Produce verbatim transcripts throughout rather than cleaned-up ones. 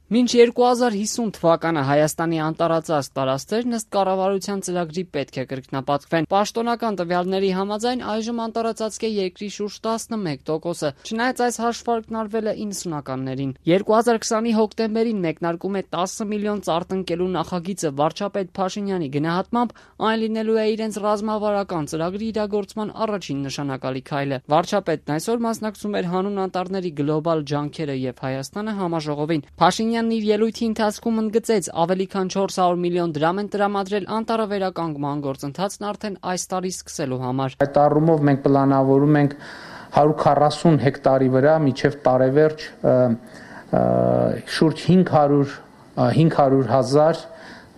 Մինչ երկու հազար հիսուն թվականը Հայաստանի անտառածածկ տարածքներն ըստ կառավարության ծրագրի պետք է կրկնապատկվեն։ Պաշտոնական տվյալների համաձայն այժմ անտառածածկ է երկրի շուրջ տասնմեկ տոկոսը, չնայած այս հաշվարկն արվել է իննսունականներին։ երկու հազար քսանի հոկտեմբերին մեկնարկում է տասը միլիոն ծառ տնկելու նախագիծը վարչապետ Փաշինյանի գնահատմամբ այն լինելու է իրենց ռազմավարական ծրագրի իրագործման առաջին նշանակալի քայլը։ Վարչապետն այսօր մասնակցում էր հանուն անտառների գլոբալ ջանքերը եւ Հայաստանը համաժողովին։ Փաշինյանն իր ելույթի ընթացքում ընդգծեց, ավելի քան չորս հարյուր միլիոն դրամ են տրամադրել անտառավերականգնման գործընթացն արդեն այս տարի սկսելու համար։ Այդ առումով մենք պլանավորում ենք հարյուր քառասուն հեկտարի վրա մինչև տարեվերջ շուրջ հինգ հարյուր հազար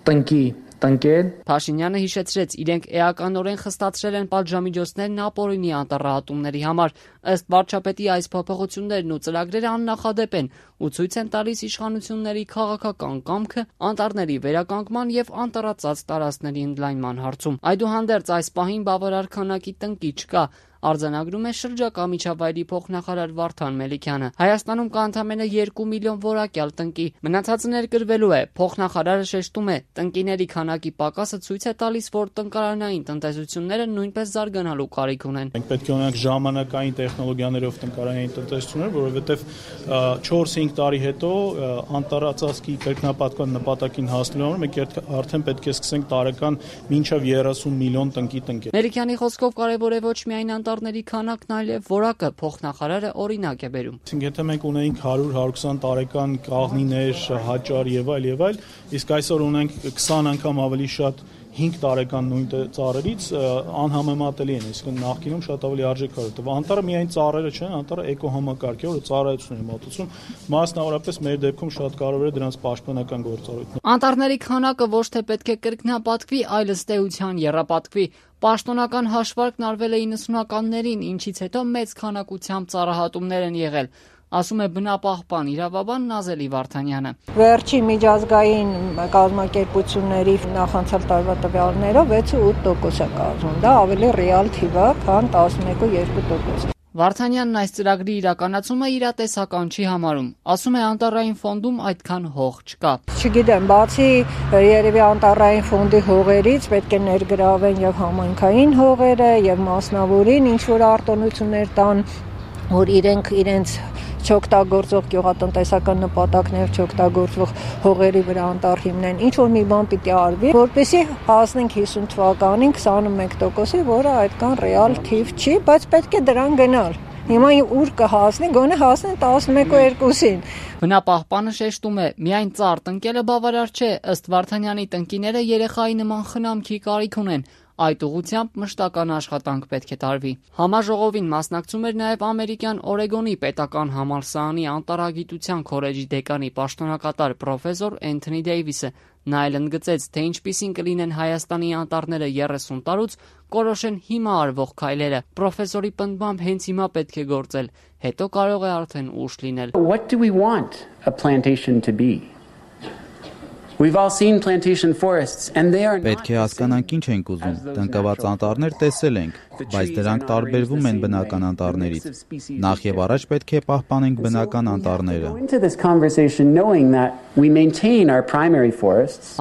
տնկի տնկել։ Փաշինյանը հիշեցրեց, իրենք էականորեն խստացրել են պատժամիջոցներն ապօրինի անտառահատումների համար։ Ըստ վարչապետի այս փոփոխություններն ու ծրագրերը աննախադեպ են ու ցույց են տալիս իշխանությունների քաղաքական կամքը անտառների վերականգնման եւ անտառածածկ տարածքների ընդլայնման հարցում։ Այդուհանդերձ այս պահին բավարար քանակի տնկի չկա, արձանագրում է շրջակա միջավայրի փոխնախարար Վարդան Մելիքյանը։ Հայաստանում կա ընդամենը երկու միլիոն որակյալ տնկի, մնացածը ներկրվելու է։ Փոխնախարարը շեշտում է, տնկիների քանակի պակասը ցույց է տալիս, որ տնկարանային տնտեսությունները նույնպես զարգանալու կարիք ունեն։ Մենք պետք է ունենանք ժամանակային տեխնոլոգիաներով տնկարանային տնտեսություններ, որովհետև չորս-հինգ տարի հետո անտառածածկի կրկնապատկման նպատակին հասնելու համար մենք արդեն պետք է սկսենք տարեկան մինչև երեսուն միլիոն տնկի տնկել։ Մելիքյանի խոսքով կարևոր է ոչ միայն անտառների քանակն, այլև որակը, փոխնախարարը օրինակ է բերում։ Եթե մենք ունենք հարյուր հարյուր քսան տարեկան կաղնիներ, հաճար եւ այլ եւ այլ, իսկ այսօր ունենք քսան անգամ ավելի շատ հինգ տարեկան նույն ծառերից, անհամեմատելի են, իսկ նախկինում շատ ավելի արժեքավոր է։ Անտառը միայն ծառերը չեն, անտառը էկոհամակարգ է, որը ծառայություն է մոտեցում, մասնավորապես մեր դեպքում շատ կարևոր է դրանց պաշտպանական գործառույթն։ Անտառների քանակը ոչ թե պետք է կրկնապատկվի, այլ ըստ էության եռապատկվի։ Պաշտոնական հաշվարկն արվել է իննսունականներին, ինչից հետո մեծ քանակությամբ ծառահատումներ են եղել, ասում է բնապահպան իրավաբան Նազելի Վարդանյանը։ Վերջի միջազգային կազմակերպությունների նախանցյալ տարվա տվյալներով վեց ու ութ տոկոս է կազմում, դա ավելի ռեալ թիվ է, քան տասնմեկ ու երկու տոկոս։ Վարդանյանն այս ծրագրի իրականացումը իրատեսական չի համարում, ասում է անտառային ֆոնդում այդքան հող չկա։ Չգիտեմ, բացի երևի անտառային ֆոնդի հողերից պետք է ներգրավեն եւ համայնքային հողերը եւ մասնավորին ինչ որ արտոնություններ տան, որ իրենք իրենց չօգտագործող գյուղատնտեսական նպատակներ չօգտագործող հողերի վրա անտառ հիմնեն, ինչ որ մի բան պիտի արվի, որպեսզի հասնենք հիսուն թվականին քսանմեկ տոկոսի, որը այդքան ռեալ թիվ չի, բայց պետք է դրան գնալ։ Հիմա ուր կհասնի, գոնե հասնեն տասնմեկ ու երկուսին։ Բնապահպանը շեշտում է, միայն ծառ տնկելը բավարար չէ, ըստ Վարդանյանի տնկիները երեխայի նման խնամքի կարիք ունեն։ Այդ ուղղությամբ մշտական աշխատանք պետք է տարվի։ Համաժողովին մասնակցում էր նաև ամերիկյան Օրեգոնի պետական համալսարանի անտառագիտության քոլեջի դեկանի պաշտոնակատար պրոֆեսոր Էնթոնի Դեյվիսը։ Նա էլ ընդգծեց, թե ինչպիսին կլինեն Հայաստանի անտառները երեսուն տարուց, կորոշեն հիմա արվող քայլերը։ Պրոֆեսորի պնդմամբ հենց հիմա պետք է գործել, հետո կարող է արդեն ուշ լինել։ What do we want a plantation to be? We've all seen plantation forests and they are not. Պետք է հասկանանք ինչ ենք ուզում։ Տնկված անտառներ տեսել ենք, բայց դրանք տարբերվում են բնական անտառներից։ Նախ եւ առաջ պետք է պահպանենք բնական անտառները։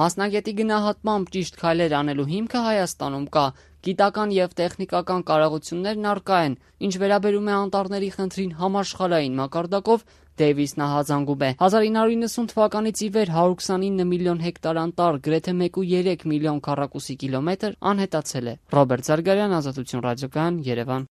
Մասնագետի գնահատմամբ ճիշտ քայլեր անելու հիմքը Հայաստանում կա։ Գիտական եւ տեխնիկական կարողություններն առկա են, ինչ վերաբերում է անտառների խնդրին համաշխարհային մակարդակով, Դեյվիսն ահազանգում է։ հազար ինը հարյուր իննսուն թվականից ի վեր հարյուր քսանինը միլիոն հեկտար անտառ, գրեթե մեկ կողմը երեք միլիոն քառակուսի կիլոմետր անհետացել է։ Ռոբերտ Զարգարյան, Ազատություն ռադիոկայան, Երևան։